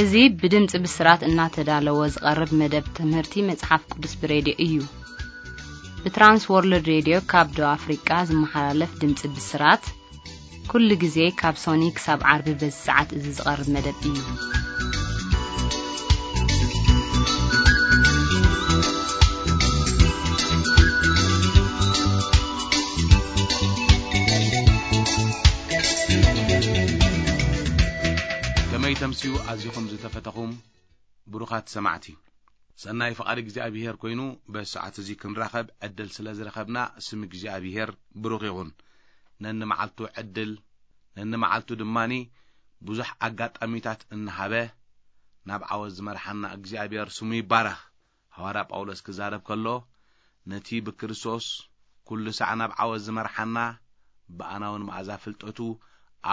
እዚ ብድምፂ ብስራት እናተዳለወ ዝቐርብ መደብ ትምህርቲ መፅሓፍ ቅዱስ ብሬድዮ እዩ። ብትራንስ ወርልድ ሬድዮ ካብ ደቡብ ኣፍሪቃ ዝመሓላለፍ ድምፂ ብስራት፣ ኩሉ ግዜ ካብ ሶኒ ክሳብ ዓርቢ በዚ ሰዓት እዚ ዝቐርብ መደብ እዩ። ከመይ ተምስዩ ኣዚኹም ዝተፈተኹም ብሩኻት ሰማዕቲ። ሰናይ ፍቓድ እግዚኣብሔር ኮይኑ በዚ ሰዓት እዚ ክንራኸብ ዕድል ስለ ዝረኸብና ስም እግዚኣብሔር ብሩኽ ይኹን። ነንመዓልቱ ዕድል፣ ነንመዓልቱ ድማኒ ብዙሕ ኣጋጣሚታት እናሃበ ናብ ዓወት ዝመርሓና እግዚኣብሔር ስሙ ይባረኽ። ሃዋርያ ጳውሎስ ክዛረብ ከሎ፣ ነቲ ብክርስቶስ ኩሉ ሳዕ ናብ ዓወት ዝመርሓና፣ ብኣናውን መኣዛ ፍልጠቱ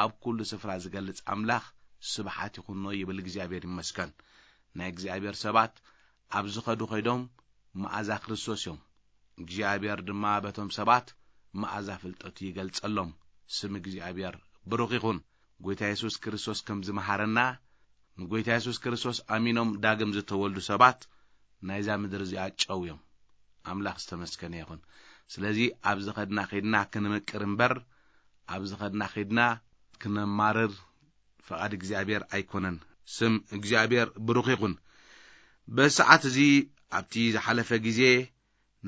ኣብ ኩሉ ስፍራ ዝገልጽ ኣምላኽ ስብሓት ይኹኖ ይብል። እግዚኣብሔር ይመስገን። ናይ እግዚኣብሔር ሰባት ኣብ ዝኸዱ ኸይዶም መኣዛ ክርስቶስ እዮም። እግዚኣብሔር ድማ በቶም ሰባት መኣዛ ፍልጠቱ ይገልጸሎም። ስም እግዚኣብሔር ብሩኽ ይኹን። ጐይታ የሱስ ክርስቶስ ከም ዝመሃረና፣ ንጐይታ የሱስ ክርስቶስ ኣሚኖም ዳግም ዝተወልዱ ሰባት ናይዛ ምድሪ እዚኣ ጨው እዮም። ኣምላኽ ዝተመስገነ ይኹን። ስለዚ ኣብ ዝኸድና ኸይድና ክንምቅር እምበር፣ ኣብ ዝኸድና ኸይድና ክነማርር ፍቓድ እግዚኣብሔር ኣይኮነን። ስም እግዚኣብሔር ብሩኽ ይኹን። በዚ ሰዓት እዚ ኣብቲ ዝሓለፈ ግዜ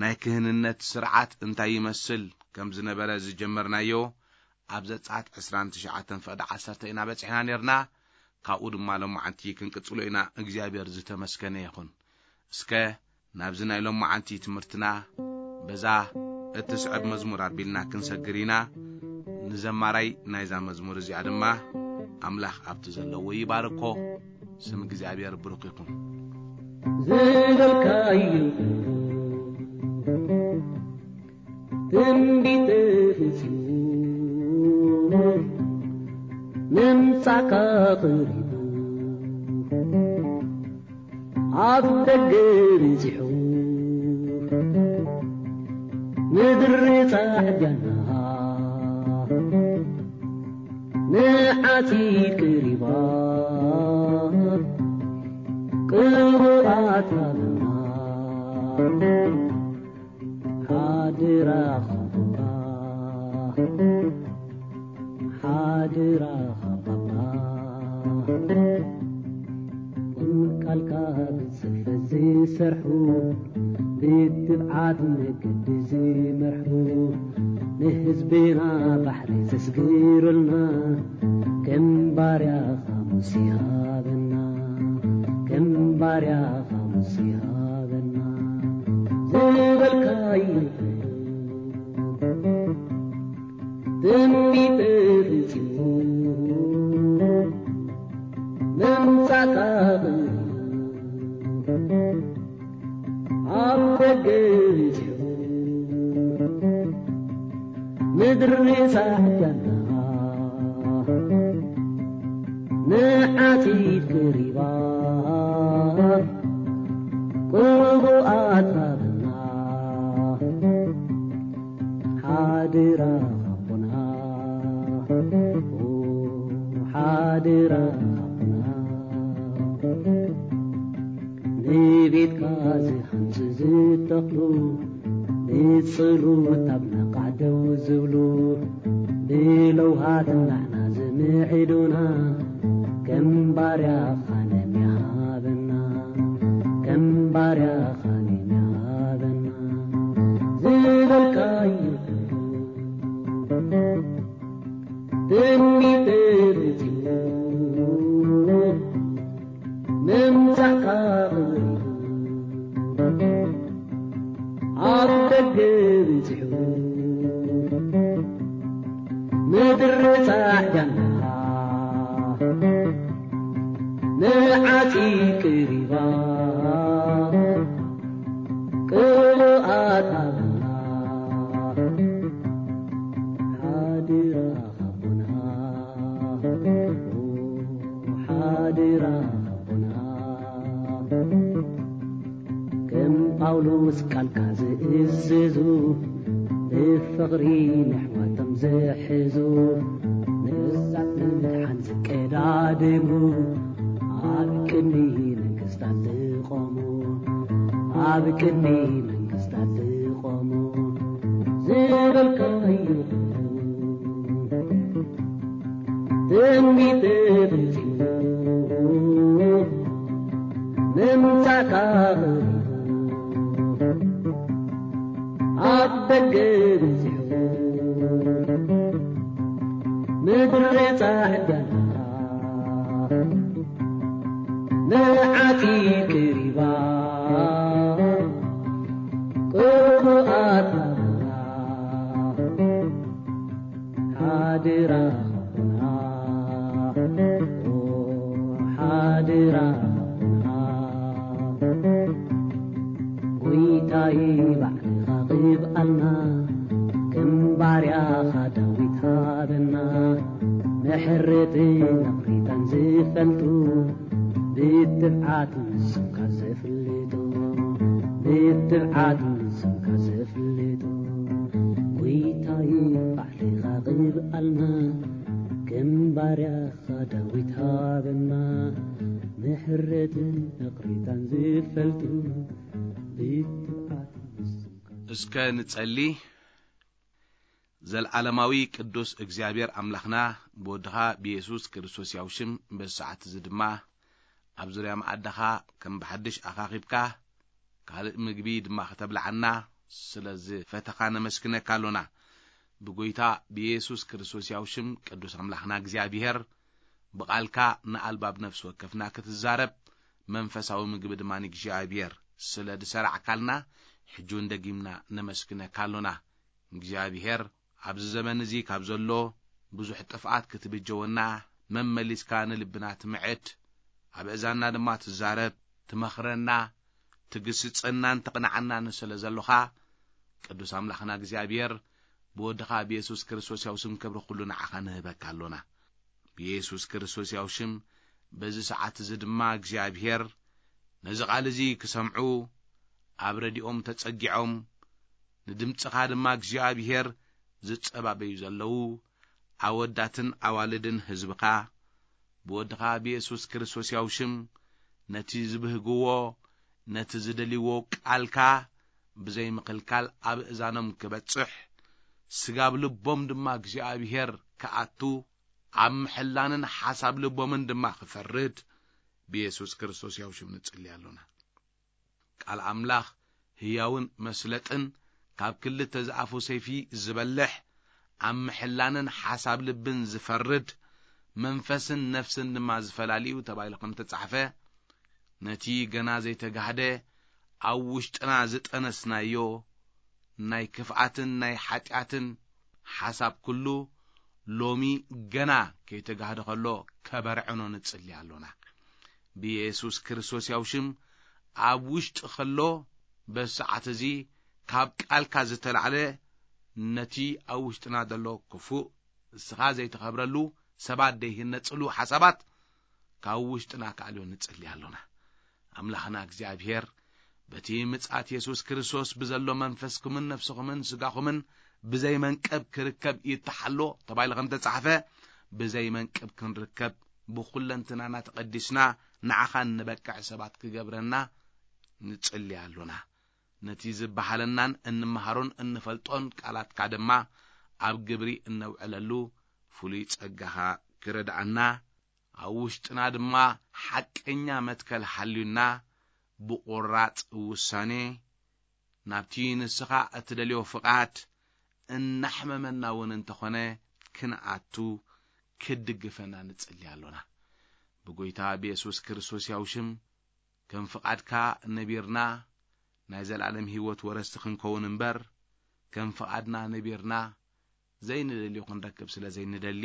ናይ ክህንነት ስርዓት እንታይ ይመስል ከም ዝነበረ ዝጀመርናዮ ኣብ ዘጸኣት ዕስራን ትሽዓተን ፍቕዲ ዓሰርተ ኢና በጺሕና ነርና። ካብኡ ድማ ሎማዓንቲ ክንቅጽሎ ኢና። እግዚኣብሔር ዝተመስገነ ይኹን። እስከ ናብዚ ናይ ሎማዓንቲ ትምህርትና በዛ እትስዕብ መዝሙር ኣቢልና ክንሰግር ኢና። ንዘማራይ ናይዛ መዝሙር እዚኣ ድማ ኣምላኽ ኣብቲ ዘለዎ ይባርኮ። ስም እግዚኣብሔር ብሩኽ ይኹን። ዝበልካዩ ትንቢት ተፈጺሙ ምምጻእካ ቀሪቡ ኣብ ደገ በጺሑ ምድሪ ጻዕዳና ንዓቲ ቀሪባ ቅቡኣት ሃበና ሓድራ ኸቦና ሓድራ ኸቦና ቃልካ ብጽፈት ዝሰርሑ ብትብዓት መገዲ ዝመርሑ ንህዝብና ባሕሪ ዘስግሩልና ከም ባርያኻ ሙሴ ሃበና ከም ባርያኻ ሙሴ ሃበና ዝበልካዩ ትንቢት ተፈጺሙ ምምጻእካ ኣብ ደገ በጺሑ ምድሪ ጻዕዳና ንዓጺድ ቀሪባ ቅቡኣት ሃበና ሓድራ ኸቦና ሓድራ ኸቦና ንቤትካ ዝሃንጽ ዝተኽሉ ንጽሉት ኣብ ነቓዕ ደው ዝብሉ ብለውሃት ናዕና ዝምዕዱና ከም ባርያኻ ነሚሃበና ከም ባርያኻ ነሚሃበና ዝበልካዩ ትንቢት ተፈጺሙ ምምጻእካ ቀሪቡ ኣብ ደገ በጺሑ ምድሪ ጻዕዳና ንዓጺድ ቀሪባ ቅሉኣት ሃበና ሓድራ ኸቦና ሓድራ ኸቦና ከም ጳውሎስ ቃልካ ዝእዝዙ ብፍቕሪ ነሕዋቶም ዝሕዙ ንሳት ምድሓን ዝቀዳደሙ ኣብ ቅድሚ መንግስታት ዝቆሙ ዝበልካዮ ትንቢት ተፈጺሙ ምምጻእካ ቀሪቡ ኣብ ደገ በጺሑ ምድሪ ጻዕዳ ንዓቲ ቅሪባ ቅቡኣት ሓድራ ኹና ሓድራ ኹና ጎይታይ ባዕልኻ ቅብኣልና ከም ባርያኻ ዳዊት ሃበና ምሕረትን ይቕሬታን ዝፈልጡ ብትብዓት ንስምካ ዘፍልጡ ብትብዓት ንስምካ ዘፍልጡ ጎይታይ ባዕልኻ ቅብኣልና ከም ባርያኻ ዳዊት ሃበና ምሕረትን ይቕሬታን ዝፈልጡ ብትብዓት ንስምካ እስከ ንጸሊ። ዘልዓለማዊ ቅዱስ እግዚኣብሔር ኣምላኽና ብወድኻ ብየሱስ ክርስቶስ ያው ሽም በዚ ሰዓት እዚ ድማ ኣብ ዙርያ መኣዳኻ ከም ብሓድሽ ኣኻኺብካ ካልእ ምግቢ ድማ ከተብልዓና ስለ ዝፈተኻ ነመስግነካ ኣሎና። ብጎይታ ብየሱስ ክርስቶስ ያው ሽም ቅዱስ ኣምላኽና እግዚኣብሔር ብቓልካ ንኣልባብ ነፍሲ ወከፍና ክትዛረብ መንፈሳዊ ምግቢ ድማ ንእግዚኣብሔር ስለ ዝሰራዕካልና ሕጂ እውን ደጊምና ነመስግነካ ኣሎና። እግዚኣብሔር ኣብዚ ዘመን እዚ ካብ ዘሎ ብዙሕ ጥፍኣት ክትብጀወና መመሊስካ ንልብና ትምዕድ ኣብ እዛና ድማ ትዛረብ ትመኽረና ትግስጸናን ተቕንዓናን ስለ ዘሎኻ ቅዱስ ኣምላኽና እግዚኣብሔር ብወድኻ ብየሱስ ክርስቶስ ያው ስም ክብሪ ኩሉ ንዓኻ ንህበካ ኣሎና። ብየሱስ ክርስቶስ ያው ሽም በዚ ሰዓት እዚ ድማ እግዚኣብሔር ነዚ ቓል እዚ ክሰምዑ ኣብ ረድኦም ተጸጊዖም ንድምጽኻ ድማ እግዚኣብሔር ዝጸባበዩ ዘለዉ ኣወዳትን ኣዋልድን ህዝብኻ ብወድኻ ብየሱስ ክርስቶስ ያው ሽም ነቲ ዝብህግዎ ነቲ ዝደልይዎ ቃልካ ብዘይምኽልካል ኣብ እዛኖም ክበጽሕ ስጋብ ልቦም ድማ እግዚኣብሔር ክኣቱ ኣብ ምሕላንን ሓሳብ ልቦምን ድማ ክፈርድ ብየሱስ ክርስቶስ ያው ሽም ንጽሊ ኣሎና። ቃል ኣምላኽ ህያውን መስለጥን ካብ ክልተ ዝኣፉ ሰይፊ ዝበልሕ ኣብ ምሕላንን ሓሳብ ልብን ዝፈርድ መንፈስን ነፍስን ድማ ዝፈላልዩ ተባሂሉ ከም ተጻሕፈ ነቲ ገና ዘይተጋህደ ኣብ ውሽጥና ዝጠነስናዮ ናይ ክፍኣትን ናይ ሓጢኣትን ሓሳብ ኩሉ ሎሚ ገና ከይተጋህደ ከሎ ከበርዕኖ ንጽሊ ኣሎና። ብየሱስ ክርስቶስ ያው ሽም ኣብ ውሽጢ ከሎ በዚ ሰዓት እዚ ካብ ቃልካ ዝተላዕለ ነቲ ኣብ ውሽጥና ዘሎ ክፉእ እስኻ ዘይተኸብረሉ ሰባት ዘይህነጽሉ ሓሳባት ካብ ውሽጥና ክኣልዮ ንጽሊ ኣሎና። ኣምላኽና እግዚኣብሔር በቲ ምጽኣት የሱስ ክርስቶስ ብዘሎ መንፈስኩምን ነፍስኹምን ስጋኹምን ብዘይ መንቀብ ክርከብ ይተሓሎ ተባሂሉ ከም ተጻሕፈ ብዘይ መንቀብ ክንርከብ ብኹለንትናና ተቐዲስና ንዓኻ እንበቅዕ ሰባት ክገብረና ንጽሊ ኣሎና። ነቲ ዝበሃለናን እንመሃሮን እንፈልጦን ቃላትካ ድማ ኣብ ግብሪ እነውዕለሉ ፍሉይ ጸጋኻ ክረድኣና ኣብ ውሽጥና ድማ ሓቀኛ መትከል ሓልዩና ብቑራጽ ውሳኔ ናብቲ ንስኻ እትደልዮ ፍቓድ እናሕመመና እውን እንተኾነ ክንኣቱ ክድግፈና ንጽሊ ኣሎና። ብጎይታ ብየሱስ ክርስቶስ ያው ሽም ከም ፍቓድካ ነቢርና ናይ ዘለኣለም ህይወት ወረስቲ ክንከውን እምበር ከም ፍቓድና ነቢርና ዘይንደልዮ ክንረክብ ስለ ዘይንደሊ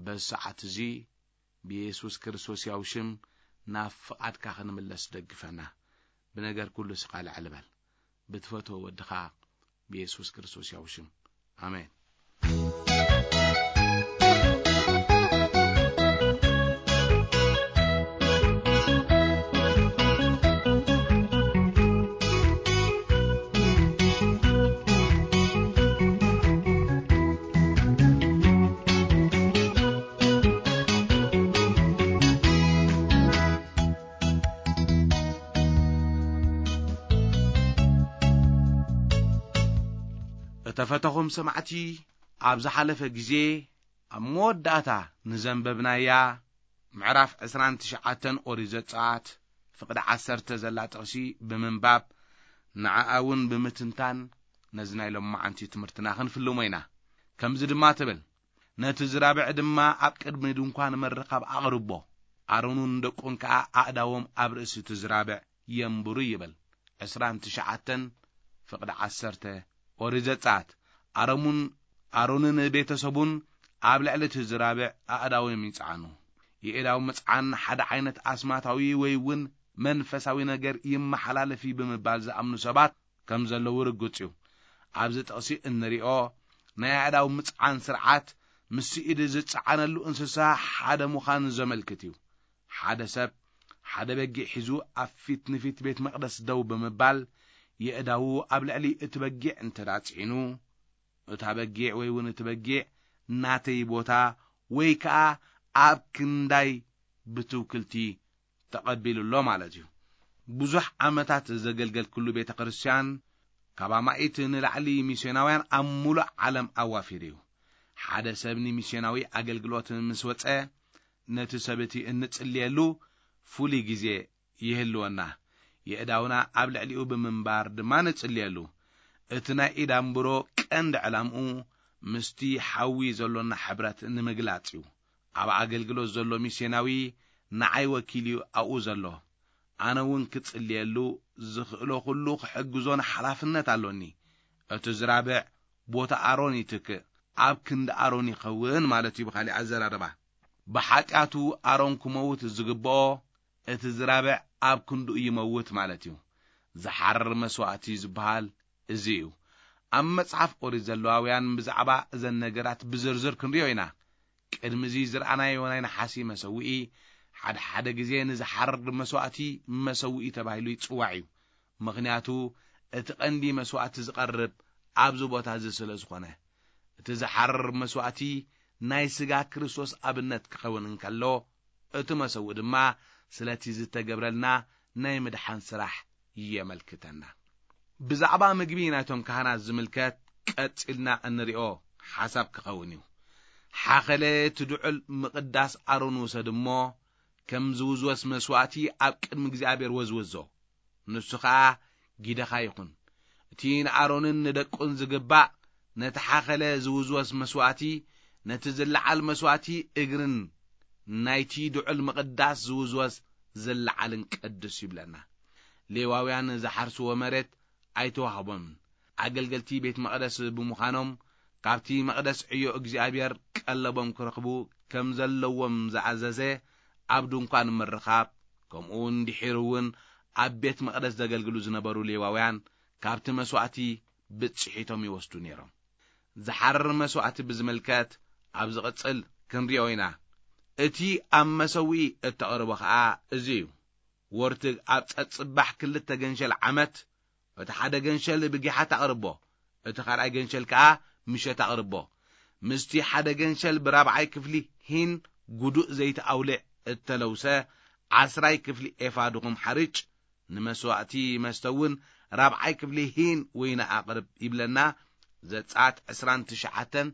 በዚ ሰዓት እዚ ብየሱስ ክርስቶስ ያው ሽም ናብ ፍቓድካ ክንምለስ ደግፈና። ብነገር ኩሉ ስኻ ልዕል በል። ብትፈትዎ ወድኻ ብየሱስ ክርስቶስ ያው ሽም ኣሜን። ፈተኹም ሰማዕቲ፣ ኣብ ዝሓለፈ ግዜ ኣብ መወዳእታ ንዘንበብናያ ምዕራፍ ዕስራን ትሽዓተን ኦሪት ዘጸኣት ፍቕዲ ዓሰርተ ዘላ ጥቕሲ ብምንባብ፣ ንዓኣ እውን ብምትንታን ነዚ ናይ ሎማዓንቲ ትምህርትና ክንፍልሞ ኢና። ከምዚ ድማ ትብል፣ ነቲ ዝራብዕ ድማ ኣብ ቅድሚ ድንኳን ምርኻብ ኣቕርቦ፣ ኣሮንን ደቁን ከኣ ኣእዳዎም ኣብ ርእሲ እቲ ዝራብዕ የንብሩ ይብል። ዕስራን ትሽዓተን ፍቕዲ ዓሰርተ ኦሪት ዘጸኣት። ኣሮሙን፣ ኣሮንን ቤተሰቡን ኣብ ልዕሊ እቲ ዝራብዕ ኣእዳዎም ይጽዓኑ። የእዳው ምጽዓን ሓደ ዓይነት ኣስማታዊ ወይ እውን መንፈሳዊ ነገር ይመሓላለፍ እዩ ብምባል ዝኣምኑ ሰባት ከም ዘለዉ ርግጽ እዩ። ኣብዚ ጥቕሲ እንሪኦ ናይ ኣእዳው ምጽዓን ስርዓት ምስ ኢድ ዝጸዓነሉ እንስሳ ሓደ ምዃኑ ዘመልክት እዩ። ሓደ ሰብ ሓደ በጊዕ ሒዙ ኣብ ፊት ንፊት ቤት መቕደስ ደው ብምባል የእዳዉ ኣብ ልዕሊ እቲ በጊዕ እንተ ደኣ ጽዒኑ፣ እታ በጊዕ ወይ እውን እቲ በጊዕ ናተይ ቦታ ወይ ከኣ ኣብ ክንዳይ ብትውክልቲ ተቐቢሉ ኣሎ ማለት እዩ። ብዙሕ ዓመታት ዘገልገልኩሉ ቤተ ክርስቲያን ካብ ኣማኢት ንላዕሊ ሚስዮናውያን ኣብ ሙሉእ ዓለም ኣዋፊሩ እዩ። ሓደ ሰብ ንሚስዮናዊ ኣገልግሎት ምስ ወጸ፣ ነቲ ሰብ እቲ እንጽልየሉ ፍሉይ ግዜ ይህልወና። የእዳውና ኣብ ልዕሊኡ ብምንባር ድማ ንጽልየሉ። እቲ ናይ ኢድ ኣንብሮ ቀንዲ ዕላምኡ ምስቲ ሓዊ ዘሎና ሕብረት ንምግላጽ እዩ። ኣብ ኣገልግሎት ዘሎ ሚስዮናዊ ንዓይ ወኪል እዩ ኣብኡ ዘሎ። ኣነ እውን ክጽልየሉ ዝኽእሎ ኩሉ ክሕግዞን ሓላፍነት ኣሎኒ። እቲ ዝራብዕ ቦታ ኣሮን ይትክእ፣ ኣብ ክንዲ ኣሮን ይኸውን ማለት እዩ። ብኻሊእ ኣዘራርባ፣ ብሓጢኣቱ ኣሮን ክመውት ዝግብኦ፣ እቲ ዝራብዕ ኣብ ክንድኡ ይመውት ማለት እዩ። ዝሓርር መስዋእቲ ዝበሃል እዚ እዩ። ኣብ መጽሓፍ ኦሪት ዘለዋውያን ብዛዕባ እዘን ነገራት ብዝርዝር ክንሪኦ ኢና። ቅድሚ እዚ ዝረኣናዮ ናይ ነሓሲ መሰውኢ፣ ሓደ ሓደ ግዜ ንዝሓርር መስዋእቲ መሰውኢ ተባሂሉ ይጽዋዕ እዩ። ምኽንያቱ፣ እቲ ቀንዲ መስዋእቲ ዝቐርብ ኣብዚ ቦታ እዚ ስለ ዝኾነ። እቲ ዝሓርር መስዋእቲ ናይ ስጋ ክርስቶስ ኣብነት ክኸውን እንከሎ፣ እቲ መሰውኢ ድማ ስለቲ ዝተገብረልና ናይ ምድሓን ስራሕ የመልክተና። ብዛዕባ ምግቢ ናይቶም ካህናት ዝምልከት ቀጺልና እንሪኦ ሓሳብ ክኸውን እዩ። ሓኸለ እቲ ድዑል ምቕዳስ ኣሮን ውሰድ እሞ፣ ከም ዝውዝወስ መስዋእቲ ኣብ ቅድሚ እግዚኣብሔር ወዝውዞ። ንሱ ኸኣ ጊደኻ ይኹን። እቲ ንኣሮንን ንደቁን ዝግባእ፣ ነቲ ሓኸለ ዝውዝወስ መስዋእቲ፣ ነቲ ዝለዓል መስዋእቲ እግርን ናይቲ ድዑል ምቕዳስ ዝውዝወስ ዝለዓልን ቅዱስ ይብለና። ሌዋውያን ዝሓርስዎ መሬት ኣይተዋህቦምን። ኣገልገልቲ ቤት መቕደስ ብምዃኖም፣ ካብቲ መቕደስ ዕዮ እግዚኣብሔር ቀለቦም ክረኽቡ ከም ዘለዎም ዝኣዘዘ፣ ኣብ ድንኳን ምርኻብ፣ ከምኡ እውን ድሒሩ እውን ኣብ ቤት መቕደስ ዘገልግሉ ዝነበሩ ሌዋውያን፣ ካብቲ መስዋእቲ ብጽሒቶም ይወስዱ ነይሮም። ዝሓርር መስዋእቲ ብዝምልከት ኣብ ዝቕጽል ክንሪኦ ኢና። እቲ ኣብ መሰውኢ እተቕርቦ ኸኣ እዚ እዩ። ወርትግ ኣብ ጸጽባሕ ክልተ ገንሸል ዓመት፣ እቲ ሓደ ገንሸል ብጊሓ ተቕርቦ፣ እቲ ካልኣይ ገንሸል ከኣ ምሸት ኣቕርቦ። ምስቲ ሓደ ገንሸል ብራብዓይ ክፍሊ ሂን ጉዱእ ዘይቲ ኣውልዕ እተለውሰ ዓስራይ ክፍሊ ኤፋ ድኹም ሓርጭ፣ ንመስዋእቲ መስተ እውን ራብዓይ ክፍሊ ሂን ወይኒ ኣቕርብ ይብለና። ዘጸኣት ዕስራን ትሽዓተን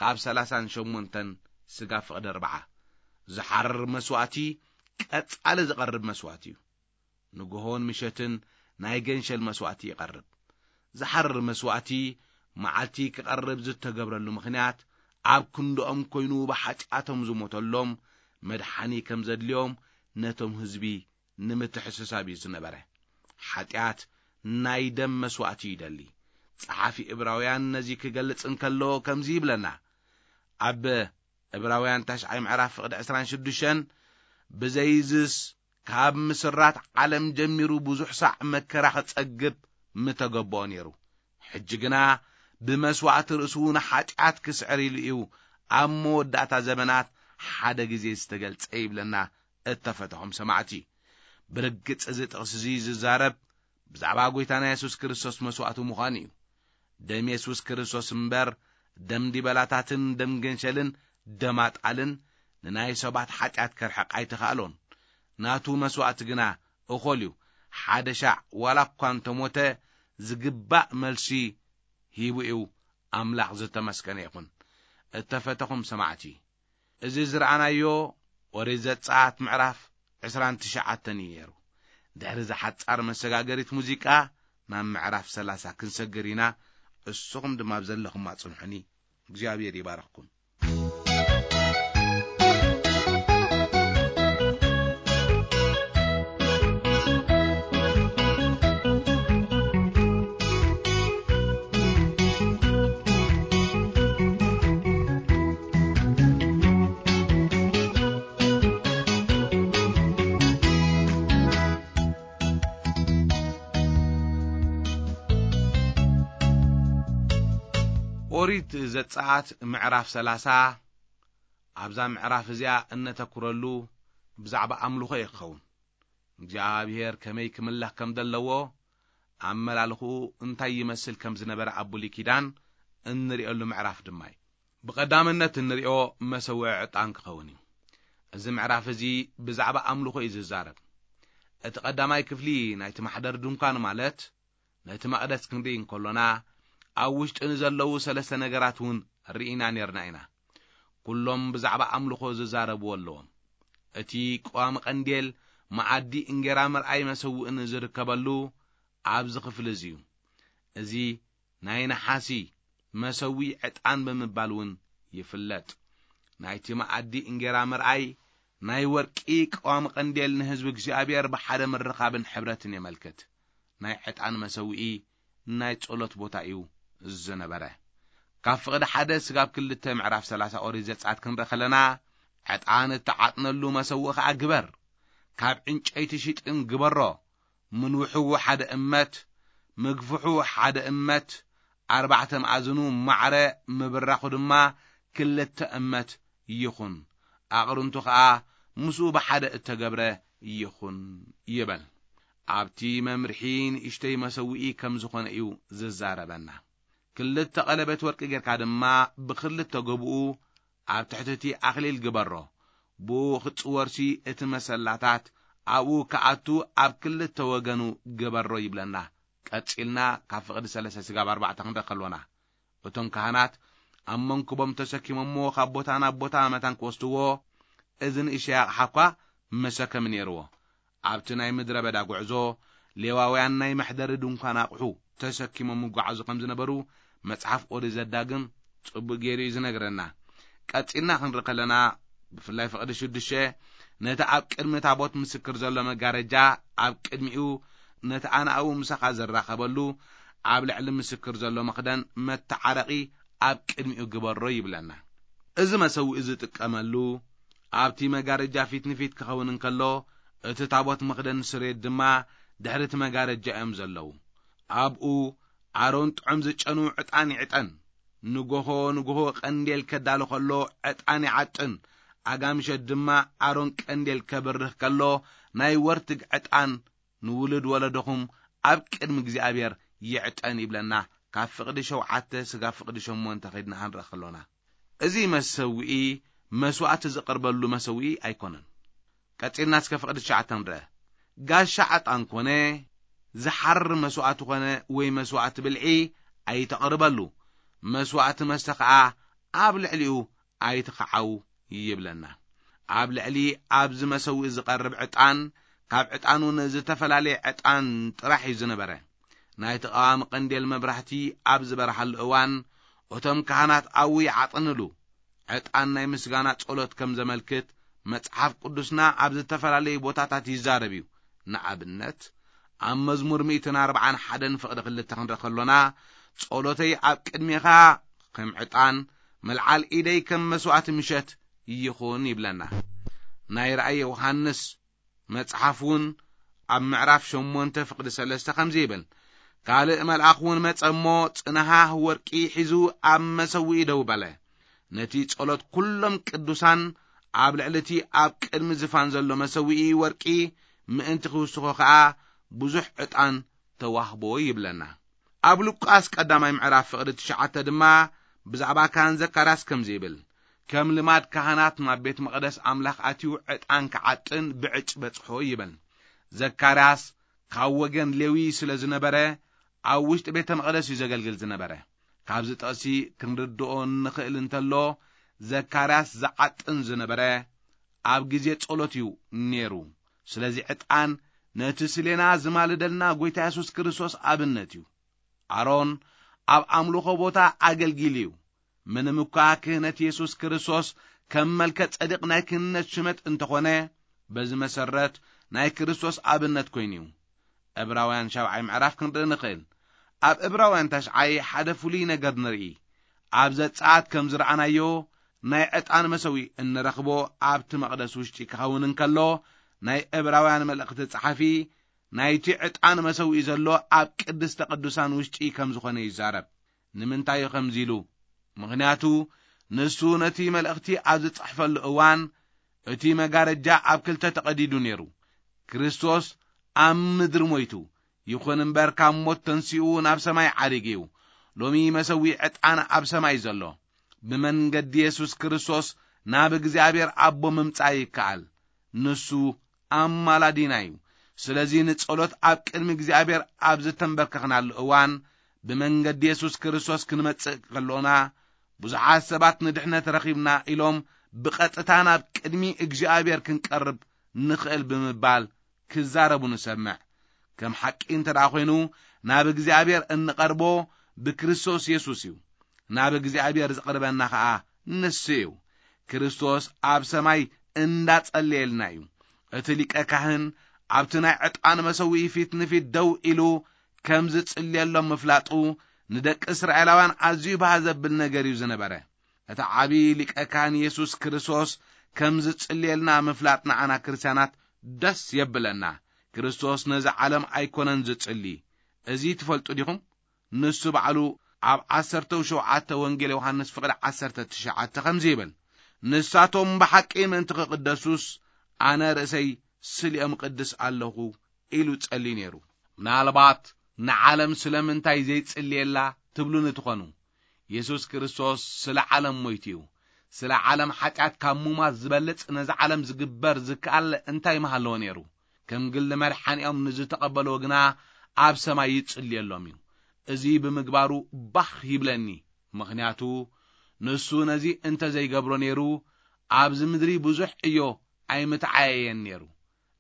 ካብ ሰላሳን ሸሞንተን ስጋ ፍቕዲ ኣርብዓ። ዝሓርር መስዋእቲ ቀጻሊ ዝቐርብ መስዋእቲ እዩ። ንግሆን ምሸትን ናይ ገንሸል መስዋእቲ ይቐርብ። ዝሓርር መስዋእቲ መዓልቲ ክቐርብ ዝተገብረሉ ምኽንያት፣ ኣብ ክንድኦም ኮይኑ ብሓጢኣቶም ዝሞተሎም መድሓኒ ከም ዘድልዮም ነቶም ህዝቢ ንምትሕስሳብ እዩ ዝነበረ። ሓጢኣት ናይ ደም መስዋእቲ ይደሊ። ጸሓፊ ዕብራውያን ነዚ ክገልጽ እንከሎ ከምዚ ይብለና። ኣብ ዕብራውያን ታሽዓይ ምዕራፍ ፍቕዲ ዕስራን ሽዱሽተን፣ ብዘይዝስ ካብ ምስራት ዓለም ጀሚሩ ብዙሕ ሳዕ መከራ ክጸግብ ምተገብኦ ነይሩ። ሕጂ ግና ብመስዋእቲ ርእሱ ንሓጢኣት ክስዕር ኢሉ እዩ ኣብ መወዳእታ ዘመናት ሓደ ግዜ ዝተገልጸ ይብለና። እተፈተኹም ሰማዕቲ፣ ብርግጽ እዚ ጥቕሲ እዚ ዝዛረብ ብዛዕባ ጐይታና የሱስ ክርስቶስ መስዋእቲ ምዃኑ እዩ። ደም የሱስ ክርስቶስ እምበር፣ ደም ዲበላታትን ደም ገንሸልን ደም ኣጣልን ንናይ ሰባት ሓጢኣት ከርሕቕ ኣይተኻእሎን። ናቱ መስዋእቲ ግና እኾል እዩ። ሓደ ሻዕ ዋላ እኳ እንተሞተ፣ ዝግባእ መልሲ ሂቡ እዩ ኣምላኽ ዝተመስገነ ይኹን። እተፈተኹም ሰማዕቲ፣ እዚ ዝረኣናዮ ኦሪት ዘጸኣት ምዕራፍ ዕስራን ትሽዓተን እዩ ነይሩ። ድሕሪ እዛ ሓጻር መሰጋገሪት ሙዚቃ ናብ ምዕራፍ ሰላሳ ክንሰግር ኢና። እስኹም ድማ ኣብ ዘለኹም ኣጽንሑኒ። እግዚኣብሔር ይባርኽኩም። ኦሪት ዘጸኣት ምዕራፍ ሰላሳ። ኣብዛ ምዕራፍ እዚኣ እነተኩረሉ ብዛዕባ ኣምልኾ እዩ ክኸውን። እግዚኣብሔር ከመይ ክምለኽ ከም ዘለዎ፣ ኣመላልኽኡ እንታይ ይመስል ከም ዝነበረ ኣብ ብሉይ ኪዳን እንርእየሉ ምዕራፍ ድማ እዩ። ብቐዳምነት እንርእዮ መሰውዒ ዕጣን ክኸውን እዩ። እዚ ምዕራፍ እዚ ብዛዕባ ኣምልኾ እዩ ዝዛረብ። እቲ ቀዳማይ ክፍሊ ናይቲ ማሕደር ድንኳን ማለት ነቲ መቕደስ ክንርኢ እንከሎና፣ ኣብ ውሽጢ ንዘለዉ ሰለስተ ነገራት እውን ርኢና ኔርና ኢና። ኩሎም ብዛዕባ ኣምልኾ ዝዛረብዎ ኣለዎም። እቲ ቀዋሚ ቀንዴል፣ መኣዲ እንጌራ ምርኣይ መሰውእን ዝርከበሉ ኣብዚ ክፍሊ እዚ እዩ። እዚ ናይ ነሓሲ መሰዊ ዕጣን ብምባል እውን ይፍለጥ። ናይቲ መኣዲ እንጌራ ምርኣይ ናይ ወርቂ ቀዋሚ ቀንዴል ንህዝቢ እግዚኣብሔር ብሓደ ምርኻብን ሕብረትን የመልክት። ናይ ዕጣን መሰውኢ ናይ ጸሎት ቦታ እዩ ዝነበረ። ካብ ፍቕዲ ሓደ ስጋብ ክልተ ምዕራፍ ሰላሳ ኦሪት ዘጸኣት ክንርኢ ከለና፣ ዕጣን እትዓጥነሉ መሰውኢ ኸኣ ግበር፣ ካብ ዕንጨይቲ ሽጥን ግበሮ፣ ምንውሕዉ ሓደ እመት፣ ምግፍሑ ሓደ እመት፣ ኣርባዕተ መኣዝኑ ማዕረ ምብራኹ ድማ ክልተ እመት ይኹን፣ ኣቕርንቱ ኸኣ ምስኡ ብሓደ እተገብረ ይኹን ይበል። ኣብቲ መምርሒ ንእሽተይ መሰውኢ ከም ዝኾነ እዩ ዝዛረበና። ክልተ ቀለበት ወርቂ ጌርካ ድማ ብኽልተ ጎብኡ ኣብ ትሕቲ እቲ ኣኽሊል ግበሮ። ብኡ ክጽወርሲ እቲ መሰላታት ኣብኡ ክኣቱ ኣብ ክልተ ወገኑ ግበሮ ይብለና። ቀጺልና ካብ ፍቕዲ ሰለስተ ስጋብ ኣርባዕተ ክንርኢ ከሎና፣ እቶም ካህናት ኣብ መንኩቦም ተሰኪሞምዎ ካብ ቦታ ናብ ቦታ መታን ክወስድዎ፣ እዚ ንእሽተይ ኣቕሓ እኳ መሰከሚ ነይርዎ። ኣብቲ ናይ ምድረ በዳ ጉዕዞ፣ ሌዋውያን ናይ መሕደሪ ድንኳን ኣቕሑ ተሰኪሞም ይጓዓዙ ከም ዝነበሩ መጽሓፍ ኦሪት ዘዳግም ጽቡቕ ገይሩ እዩ ዝነግረና። ቀጺልና ክንርኢ ከለና፣ ብፍላይ ፍቕዲ ሽዱሽተ፣ ነቲ ኣብ ቅድሚ ታቦት ምስክር ዘሎ መጋረጃ ኣብ ቅድሚኡ፣ ነቲ ኣነ ኣብኡ ምሳኻ ዝራኸበሉ ኣብ ልዕሊ ምስክር ዘሎ መኽደን መተዓረቒ ኣብ ቅድሚኡ ግበሮ ይብለና። እዚ መሰውኢ ዝጥቀመሉ ኣብቲ መጋረጃ ፊት ንፊት ክኸውን እንከሎ፣ እቲ ታቦት መኽደን ስሬት ድማ ድሕሪ እቲ መጋረጃ እዮም ዘለዉ። ኣብኡ ኣሮን ጥዑም ዝጨኑ ዕጣን ይዕጠን። ንጎሆ ንጎሆ ቀንዴል ከዳሉ ከሎ ዕጣን ይዓጥን። ኣጋምሸት ድማ ኣሮን ቀንዴል ከብርህ ከሎ ናይ ወርትግ ዕጣን ንውሉድ ወለዶኹም ኣብ ቅድሚ እግዚኣብሔር ይዕጠን ይብለና። ካብ ፍቕዲ ሸውዓተ ስጋብ ፍቕዲ ሸሞንተ ከይድና ክንርኢ ከሎና፣ እዚ መሰውኢ መስዋእቲ ዝቐርበሉ መሰውኢ ኣይኮነን። ቀጺልና እስከ ፍቕዲ ትሽዓተ ንርአ። ጋሻ ዕጣን ኮነ፣ ዝሓርር መስዋእቲ ኮነ ወይ መስዋእቲ ብልዒ ኣይተቕርበሉ። መስዋእቲ መስተ ኸኣ ኣብ ልዕሊኡ ኣይትኽዓው ይብለና። ኣብ ልዕሊ ኣብዚ መሰውኢ ዝቐርብ ዕጣን፣ ካብ ዕጣን እውን ዝተፈላለየ ዕጣን ጥራሕ እዩ ዝነበረ። ናይቲ ቀዋሚ ቀንዴል መብራህቲ ኣብ ዝበርሃሉ እዋን፣ እቶም ካህናት ኣብኡ ይዓጥንሉ። ዕጣን ናይ ምስጋና ጸሎት ከም ዘመልክት መጽሓፍ ቅዱስና ኣብ ዝተፈላለዩ ቦታታት ይዛረብ እዩ። ንኣብነት፣ ኣብ መዝሙር ሚእትን ኣርባዓን ሓደን ፍቕዲ ክልተ ክንርኢ ከሎና፣ "ጸሎተይ ኣብ ቅድሜኻ ከም ዕጣን፣ መልዓል ኢደይ ከም መስዋእቲ ምሸት ይኹን" ይብለና። ናይ ራእይ ዮሃንስ መጽሓፍ እውን ኣብ ምዕራፍ ሸሞንተ ፍቕዲ ሰለስተ ከምዚ ይብል፣ "ካልእ መልኣኽ እውን መጸ እሞ፣ ጽንሃህ ወርቂ ሒዙ ኣብ መሰውኢ ደው በለ። ነቲ ጸሎት ኩሎም ቅዱሳን ኣብ ልዕሊ እቲ ኣብ ቅድሚ ዝፋን ዘሎ መሰውኢ ወርቂ ምእንቲ ክውስኾ ኸኣ ብዙሕ ዕጣን ተዋህቦ" ይብለና። ኣብ ሉቃስ ቀዳማይ ምዕራፍ ፍቕዲ ትሽዓተ ድማ ብዛዕባ ካህን ዘካርያስ ከምዚ ይብል፣ "ከም ልማድ ካህናት ናብ ቤት መቕደስ ኣምላኽ ኣትዩ ዕጣን ክዓጥን ብዕጭ በጽሖ" ይብል። ዘካርያስ ካብ ወገን ሌዊ ስለ ዝነበረ፣ ኣብ ውሽጢ ቤተ መቕደስ እዩ ዘገልግል ዝነበረ። ካብዚ ጥቕሲ ክንርድኦ እንኽእል እንተሎ፣ ዘካርያስ ዝዓጥን ዝነበረ ኣብ ግዜ ጸሎት እዩ ነይሩ። ስለዚ ዕጣን ነቲ ስሌና ዝማልደልና ጐይታ የሱስ ክርስቶስ ኣብነት እዩ። ኣሮን ኣብ ኣምልኾ ቦታ ኣገልጊሉ እዩ። ምንም እኳ ክህነት የሱስ ክርስቶስ ከም መልከ ጸዲቕ ናይ ክህነት ሽመት እንተኾነ፣ በዚ መሰረት ናይ ክርስቶስ ኣብነት ኮይኑ እዩ። ዕብራውያን ሻብዓይ ምዕራፍ ክንርኢ ንኽእል። ኣብ ዕብራውያን ታሽዓይ ሓደ ፍሉይ ነገር ንርኢ። ኣብ ዘጸኣት ከም ዝረኣናዮ፣ ናይ ዕጣን መሰዊ እንረኽቦ ኣብቲ መቕደስ ውሽጢ ክኸውን እንከሎ፣ ናይ ዕብራውያን መልእኽቲ ጸሓፊ ናይቲ ዕጣን መሰውኢ ዘሎ ኣብ ቅድስተ ቅዱሳን ውሽጢ ከም ዝኾነ ይዛረብ። ንምንታይ እዩ ከምዚ ኢሉ? ምኽንያቱ ንሱ ነቲ መልእኽቲ ኣብ ዝጽሕፈሉ እዋን እቲ መጋረጃ ኣብ ክልተ ተቐዲዱ ነይሩ። ክርስቶስ ኣብ ምድሪ ሞይቱ፣ ይኹን እምበር ካብ ሞት ተንሲኡ ናብ ሰማይ ዓሪጉ እዩ። ሎሚ መሰዊ ዕጣን ኣብ ሰማይ ዘሎ። ብመንገዲ የሱስ ክርስቶስ ናብ እግዚኣብሔር ኣቦ ምምጻእ ይከኣል። ንሱ ኣማላዲና እዩ። ስለዚ ንጸሎት ኣብ ቅድሚ እግዚኣብሔር ኣብ ዝተንበርከኽናሉ እዋን፣ ብመንገዲ የሱስ ክርስቶስ ክንመጽእ ከሎና፣ ብዙሓት ሰባት ንድሕነት ረኺብና ኢሎም ብቐጥታ ናብ ቅድሚ እግዚኣብሔር ክንቀርብ ንኽእል ብምባል ክዛረቡ ንሰምዕ። ከም ሓቂ እንተ ደኣ ኾይኑ፣ ናብ እግዚኣብሔር እንቐርቦ ብክርስቶስ የሱስ እዩ። ናብ እግዚኣብሔር ዝቕርበና ኸኣ ንሱ እዩ። ክርስቶስ ኣብ ሰማይ እንዳጸለየልና እዩ። እቲ ሊቀ ካህን ኣብቲ ናይ ዕጣን መሰውኢ ፊት ንፊት ደው ኢሉ ከም ዝጽልየሎም ምፍላጡ ንደቂ እስራኤላውያን ኣዝዩ ባህ ዘብል ነገር እዩ ዝነበረ። እቲ ዓቢ ሊቀ ካህን የሱስ ክርስቶስ ከም ዝጽልየልና ምፍላጥ ንዓና ክርስትያናት ደስ የብለና። ክርስቶስ ነዚ ዓለም ኣይኮነን ዝጽሊ። እዚ ትፈልጡ ዲኹም? ንሱ ባዕሉ ኣብ ዓሰርተው ሸውዓተ ወንጌል ዮሃንስ ፍቕዲ ዓሰርተ ትሽዓተ ከምዚ ይብል፣ "ንሳቶም ብሓቂ ምእንቲ ክቕደሱስ ኣነ ርእሰይ ስሊኦም እቕድስ ኣለኹ" ኢሉ ጸልዩ ነይሩ። ምናልባት ንዓለም ስለምንታይ ዘይጽልየላ ትብሉኒ ትኾኑ። የሱስ ክርስቶስ ስለ ዓለም ሞይቱ እዩ። ስለ ዓለም ሓጢኣት ካብ ሙማት ዝበልጽ ነዚ ዓለም ዝግበር ዝከኣል እንታይ ምሃለዎ ነይሩ? ከም ግሊ መድሓኒኦም ንዝተቐበልዎ ግና ኣብ ሰማይ ይጽልየሎም እዩ። እዚ ብምግባሩ ባህ ይብለኒ። ምኽንያቱ ንሱ ነዚ እንተ ዘይገብሮ ነይሩ ኣብዚ ምድሪ ብዙሕ ዕዮ ኣይምተዓየየን ነይሩ።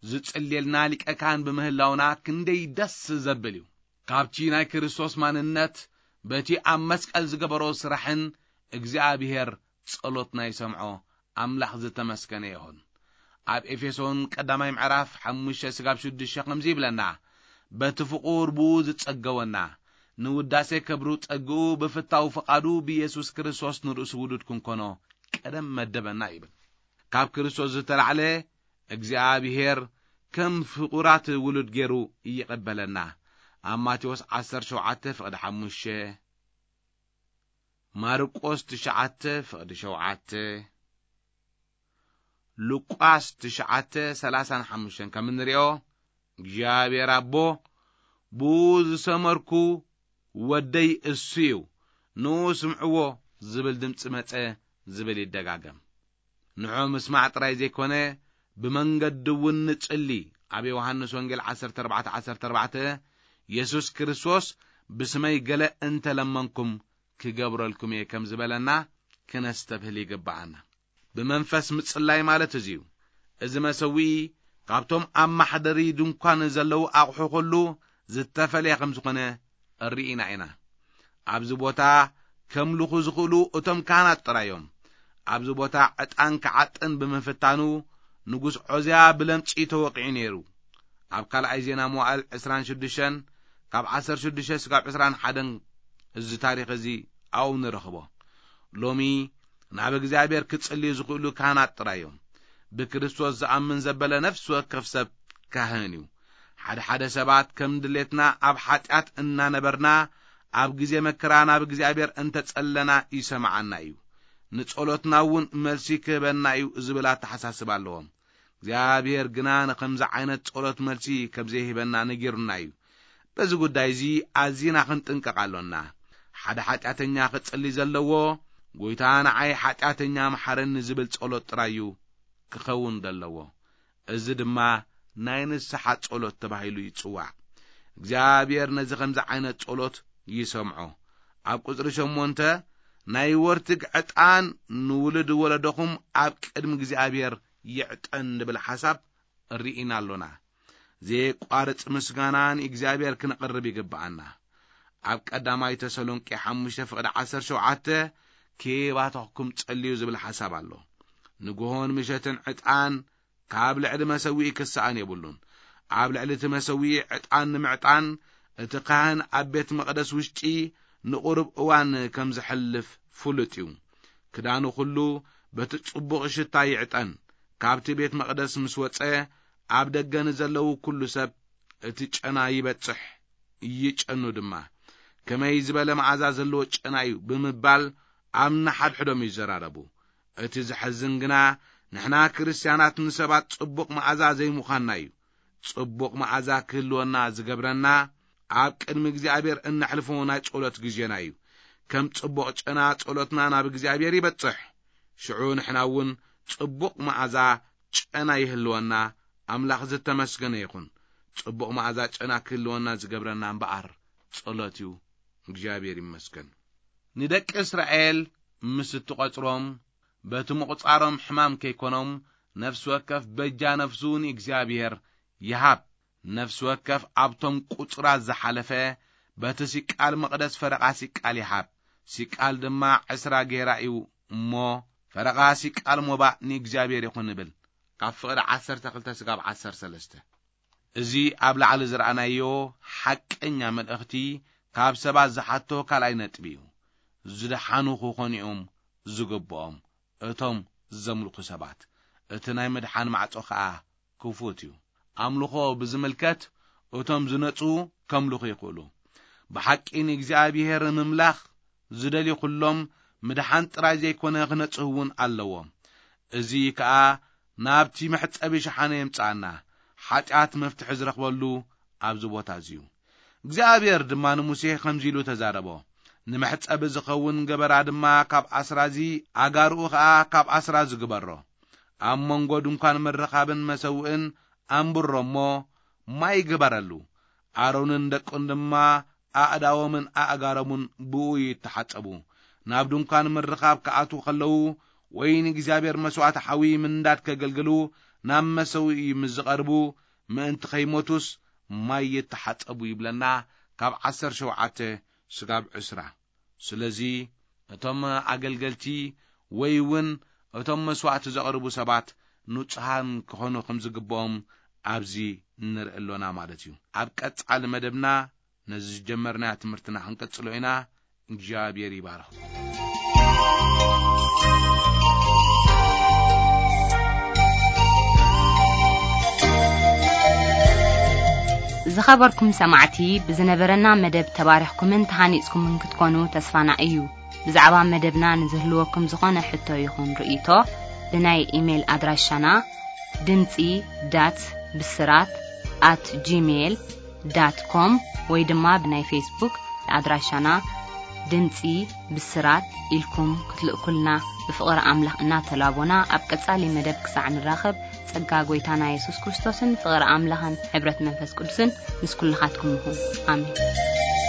ዝጽልየልና ሊቀ ካህን ብምህላውና ክንደይ ደስ ዘብል እዩ። ካብቲ ናይ ክርስቶስ ማንነት በቲ ኣብ መስቀል ዝገበሮ ስራሕን እግዚኣብሔር ጸሎትና ይሰምዖ። ኣምላኽ ዝተመስገነ ይኹን። ኣብ ኤፌሶን ቀዳማይ ምዕራፍ ሓሙሽተ ስጋብ ሽዱሽተ ከምዚ ይብለና፣ "በቲ ፍቑር ብኡ ዝጸገወና፣ ንውዳሴ ክብሩ ጸግኡ ብፍታው ፍቓዱ ብኢየሱስ ክርስቶስ ንርእሱ ውሉድ ክንኮኖ ቀደም መደበና" ይብል። ካብ ክርስቶስ ዝተላዕለ እግዚኣብሔር ከም ፍቑራት ውሉድ ገይሩ ይቐበለና። ኣብ ማቴዎስ ዓሰርተ ሸውዓተ ፍቕዲ ሓሙሽተ፣ ማርቆስ ትሽዓተ ፍቕዲ ሸውዓተ፣ ሉቃስ ትሽዓተ ሰላሳን ሓሙሽተን ከም እንሪኦ፣ እግዚኣብሔር ኣቦ ብኡ ዝሰመርኩ ወደይ እሱ እዩ፣ ንኡ ስምዕዎ ዝብል ድምፂ መፀ ዝብል ይደጋገም። ንዑ ምስማዕ ጥራይ ዘይኮነ፣ ብመንገዲ እውን ንጽሊ። ኣብ ዮሃንስ ወንጌል ዓሰርተ ኣርባዕተ ዓሰርተ ኣርባዕተ፣ የሱስ ክርስቶስ ብስመይ ገለ እንተ ለመንኩም ክገብረልኩም እየ ከም ዝበለና ክነስተብህል ይግብኣና። ብመንፈስ ምጽላይ ማለት እዚ እዩ። እዚ መሰውኢ ካብቶም ኣብ ማሕደሪ ድንኳን ዘለዉ ኣቑሑ ኩሉ ዝተፈልየ ከም ዝኾነ ርኢና ኢና። ኣብዚ ቦታ ከምልኹ ዝኽእሉ እቶም ካህናት ጥራይ እዮም። ኣብዚ ቦታ ዕጣን ክዓጥን ብምፍታኑ ንጉስ ዖዝያ ብለምጺ ተወቒዑ ነይሩ። ኣብ ካልኣይ ዜና መዋዕል ዕስራን ሽዱሽተን ካብ ዓሰርተ ሽዱሽተ ስጋብ ዕስራን ሓደን እዚ ታሪኽ እዚ ኣብኡ ንረኽቦ። ሎሚ ናብ እግዚኣብሔር ክጽልዩ ዝኽእሉ ካህናት ጥራይ እዮም። ብክርስቶስ ዝኣምን ዘበለ ነፍሲ ወከፍ ሰብ ካህን እዩ። ሓደ ሓደ ሰባት ከም ድሌትና ኣብ ሓጢኣት እናነበርና ኣብ ግዜ መከራ ናብ እግዚኣብሔር እንተጸለና ይሰምዓና እዩ። ንጸሎትና እውን መልሲ ክህበና እዩ ዝብል ኣተሓሳስባ ኣለዎም። እግዚኣብሔር ግና ንኸምዚ ዓይነት ጸሎት መልሲ ከም ዘይህበና ነጊሩና እዩ። በዚ ጉዳይ እዚ ኣዚና ክንጥንቀቕ ኣሎና። ሓደ ሓጢኣተኛ ክጽሊ ዘለዎ፣ "ጐይታ ንዓይ ሓጢኣተኛ መሓረኒ" ዝብል ጸሎት ጥራይ እዩ ክኸውን ዘለዎ። እዚ ድማ ናይ ንስሓ ጸሎት ተባሂሉ ይጽዋዕ። እግዚኣብሔር ነዚ ከምዚ ዓይነት ጸሎት ይሰምዖ። ኣብ ቁጽሪ ሸሞንተ፣ ናይ ወርትግ ዕጣን ንውሉድ ወለዶኹም ኣብ ቅድሚ እግዚኣብሔር ይዕጠን ዝብል ሓሳብ ርኢና ኣሎና። ዘየቋርጽ ምስጋና ንእግዚኣብሔር ክነቕርብ ይግብኣና። ኣብ ቀዳማይ ተሰሎንቄ ሓሙሽተ ፍቕዲ ዓሰርተ ሸውዓተ፣ "ክባተኹም ጸልዩ" ዝብል ሓሳብ ኣሎ። ንግሆን ምሸትን ዕጣን ካብ ልዕሊ መሰውኢ ክሰኣን የብሉን። ኣብ ልዕሊ እቲ መሰውኢ ዕጣን ንምዕጣን፣ እቲ ካህን ኣብ ቤት መቕደስ ውሽጢ ንቑሩብ እዋን ከም ዝሕልፍ ፍሉጥ እዩ። ክዳኑ ኩሉ በቲ ጽቡቕ ሽታ ይዕጠን። ካብቲ ቤት መቕደስ ምስ ወጸ፣ ኣብ ደገ ንዘለዉ ኩሉ ሰብ እቲ ጨና ይበጽሕ፣ ይጨኑ ድማ። "ከመይ ዝበለ መኣዛ ዘለዎ ጨና እዩ" ብምባል ኣብ ነሓድሕዶም ይዘራረቡ። እቲ ዘሕዝን ግና፣ ንሕና ክርስትያናት ንሰባት ጽቡቕ መኣዛ ዘይምዃንና እዩ። ጽቡቕ መኣዛ ክህልወና ዝገብረና፣ ኣብ ቅድሚ እግዚኣብሔር እነሕልፎ ናይ ጸሎት ግዜና እዩ። ከም ጽቡቕ ጨና ጸሎትና ናብ እግዚኣብሔር ይበጽሕ። ሽዑ ንሕና እውን ጽቡቕ መኣዛ ጨና ይህልወና። ኣምላኽ ዝተመስገነ ይኹን። ጽቡቕ መኣዛ ጨና ክህልወና ዝገብረና እምበኣር ጸሎት እዩ። እግዚኣብሔር ይመስገን። ንደቂ እስራኤል ምስ እትቖጽሮም፣ በቲ ምቑጻሮም ሕማም ከይኮኖም፣ ነፍሲ ወከፍ በጃ ነፍሱ ንእግዚኣብሔር ይሃብ። ነፍሲ ወከፍ ኣብቶም ቁጽራት ዝሓለፈ፣ በቲ ሲቃል መቕደስ ፈረቓ ሲቃል ይሃብ። ሲቃል ድማ ዕስራ ጌራ እዩ እሞ፣ ፈረቓ ሲቃል ሞባእ ንእግዚኣብሔር ይኹን ይብል። ካብ ፍቕዲ ዓሰርተ ክልተ ስጋብ ዓሰርተ ሰለስተ። እዚ ኣብ ላዕሊ ዝረኣናዮ ሓቀኛ መልእኽቲ፣ ካብ ሰባት ዝሓቶ ካልኣይ ነጥቢ እዩ። ዝደሓኑ ክኾኑ እዮም ዝግብኦም እቶም ዘምልኹ ሰባት። እቲ ናይ ምድሓን ማዕጾ ኸኣ ክፉት እዩ። ኣምልኾ ብዝምልከት፣ እቶም ዝነጹ ከምልኹ ይኽእሉ። ብሓቂ ንእግዚኣብሔር ምምላኽ ዝደልዩ ኩሎም ምድሓን ጥራይ ዘይኮነ ክነጽሁ እውን ኣለዎም። እዚ ከኣ ናብቲ መሕጸቢ ሸሓነ የምጽኣና፣ ሓጢኣት መፍትሒ ዝረኽበሉ ኣብዚ ቦታ እዚ እዩ። እግዚኣብሔር ድማ ንሙሴ ከምዚ ኢሉ ተዛረቦ፣ "ንመሕጸቢ ዝኸውን ገበራ ድማ ካብ ኣስራዚ፣ ኣጋርኡ ኸኣ ካብ ኣስራዚ ግበሮ። ኣብ መንጎ ድንኳን ምርኻብን መሰውእን ኣንብሮ እሞ ማይ ግበረሉ። ኣሮንን ደቁን ድማ ኣእዳዎምን ኣእጋሮምን ብኡ ይተሓጸቡ። ናብ ድንኳን ምርኻብ ክኣትዉ ከለዉ ወይ ንእግዚኣብሔር መስዋዕቲ ሓዊ ምንዳድ ከገልግሉ ናብ መሰውኢ ምስ ዝቐርቡ ምእንቲ ከይሞቱስ ማይ ይተሓጸቡ" ይብለና፣ ካብ ዓሰርተ ሸውዓተ ስጋብ ዕስራ። ስለዚ እቶም ኣገልገልቲ ወይ እውን እቶም መስዋዕቲ ዘቕርቡ ሰባት ንጹሃን ክኾኑ ከም ዝግብኦም ኣብዚ ንርኢ ኣሎና ማለት እዩ። ኣብ ቀጻሊ መደብና ነዚ ዝጀመርናዮ ትምህርትና ክንቀጽሎ ኢና። እግዚኣብሔር ይባርኽ። ዝኸበርኩም ሰማዕቲ፣ ብዝነበረና መደብ ተባሪኽኩምን ተሃኒጽኩምን ክትኮኑ ተስፋና እዩ። ብዛዕባ መደብና ንዝህልወኩም ዝኾነ ሕቶ ይኹን ርእይቶ፣ ብናይ ኢሜይል ኣድራሻና ድምጺ ዳት ብስራት ኣት ጂሜይል ዳት ኮም ወይ ድማ ብናይ ፌስቡክ ኣድራሻና ድምጺ ብስራት ኢልኩም ክትልእኩልና ብፍቕሪ ኣምላኽ እናተላቦና፣ ኣብ ቀጻሊ መደብ ክሳዕ ንራኸብ፣ ጸጋ ጐይታና የሱስ ክርስቶስን ፍቕሪ ኣምላኽን ሕብረት መንፈስ ቅዱስን ምስ ኩልኻትኩም ይኹን። ኣሜን።